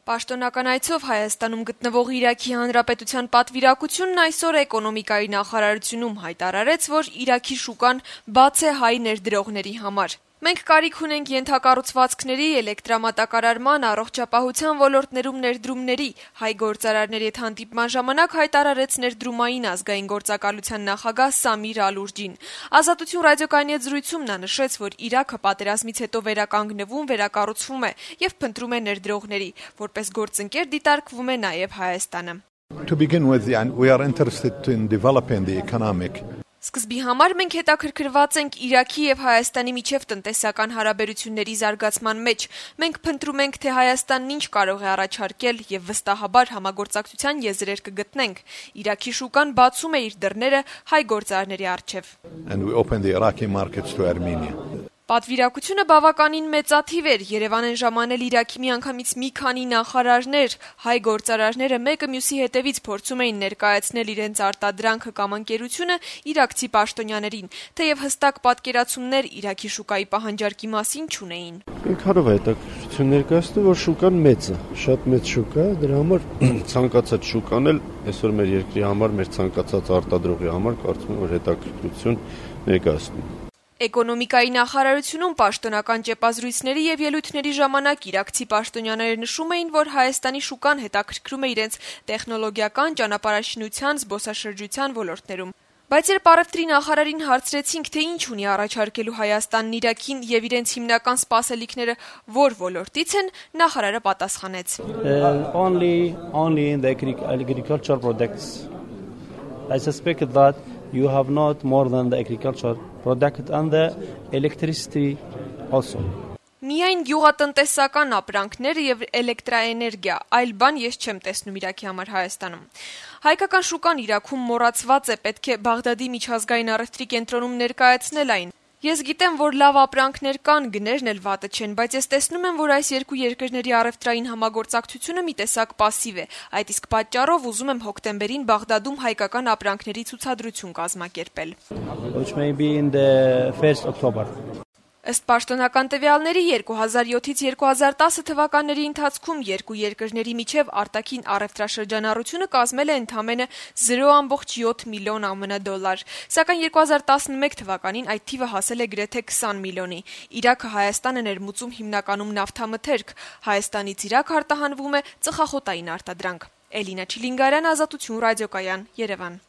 Պաշտոնական այցով Հայաստանում գտնվող Իրաքի Հանրապետության պատվիրակությունն այսօր էկոնոմիկայի նախարարությունում հայտարարեց, որ Իրաքի շուկան բաց է հայ ներդրողների համար։ Մենք կարիք ունենք ենթակառուցվածքների, էլեկտրամատակարարման, առողջապահության ոլորտներում ներդրումների, հայ գործարարների հետ հանդիպման ժամանակ հայտարարեց ներդրումային ազգային գործակալության նախագահ Սամիր Ալուրջին։ Ազատություն ռադիոկայանի հետ զրույցում նա նշեց, որ Իրաքը պատերազմից հետո վերականգնվում, վերակառուցվում է եւ փնտրում է ներդրողների, որպես գործընկեր դիտարկվում է նաեւ Հայաստանը։ To begin with, we are interested in developing the economic. Սկզբի համար մենք հետաքրքրված ենք Իրաքի եւ Հայաստանի միջև տնտեսական հարաբերությունների զարգացման մեջ։ Մենք փնտրում ենք, թե Հայաստանն ինչ կարող է առաջարկել եւ վստահաբար համագործակցության եզրեր կգտնենք։ Իրաքի շուկան բացում է իր դռները հայ գործարարների առջև։ And we open the Iraqi markets to Armenia. Պատվիրակությունը բավականին մեծաթիվ էր, Երևան են ժամանել Իրաքի միանգամից մի քանի նախարարներ, հայ գործարարները մեկը մյուսի հետևից փորձում էին ներկայացնել իրենց արտադրանքը կամ ընկերությունը իրաքցի պաշտոնյաներին, թեև հստակ պատկերացումներ Իրաքի շուկայի պահանջարկի մասին չունեին։ Ինքնով հետաքրքրություն ներկայացնում, որ շուկան մեծ է, շատ մեծ շուկա է, դրա համար ցանկացած շուկան էլ այսօր մեր երկրի համար, մեր ցանկացած արտադրողի համար կարծում եմ, որ հետաքրքրություն ներկայացնում։ Էկոնոմիկայի նախարարությունում պաշտոնական ճեպազրույցների եւ ելույթների ժամանակ իրաքցի պաշտոնյաները նշում էին, որ Հայաստանի շուկան հետաքրքրում է իրենց տեխնոլոգիական, ճանապարհաշինության, զբոսաշրջության ոլորտներում։ Բայց երբ առևտրի նախարարին հարցրեցինք, թե ինչ ունի առաջարկելու Հայաստանն Իրաքին եւ իրենց հիմնական սպասելիքները որ ոլորտից են, նախարարը պատասխանեց. Only in the agricultural products. I suspect that you have not more than the agricultural product and the electricity also. Միայն գյուղատնտեսական ապրանքներ եւ էլեկտրաէներգիա, այլ բան ես չեմ տեսնում Իրաքի համար Հայաստանում։ Հայկական շուկան Իրաքում մոռացված է, պետք է Բաղդադի միջազգային առևտրի կենտրոնում ներկայացնել այն։ Ես գիտեմ, որ լավ ապրանքներ կան, գներն էլ վատը չեն, բայց ես տեսնում եմ, որ այս երկու երկրների առևտրային համագործակցությունը մի տեսակ պասիվ է։ Այդ իսկ պատճառով ուզում եմ հոկտեմբերին Բաղդադում հայկական ապրանքների ցուցադրություն կազմակերպել։ Which may be in the 1st October. Ըստ պաշտոնական տվյալների 2007-ից 2010 թվականների ընթացքում երկու երկրների միջև արտաքին առևտրաշրջանառությունը կազմել է ընդամենը 0.7 միլիոն ԱՄՆ դոլար, սակայն 2011 թվականին այդ թիվը հասել է գրեթե 20 միլիոնի։ Իրաքը Հայաստանը ներմուծում հիմնականում նավթամթերք, Հայաստանից Իրաք արտահանվում է ծխախոտային արտադրանք։ Էլինա Չիլինգարյան, Ազատություն ռադիոկայան, Երևան։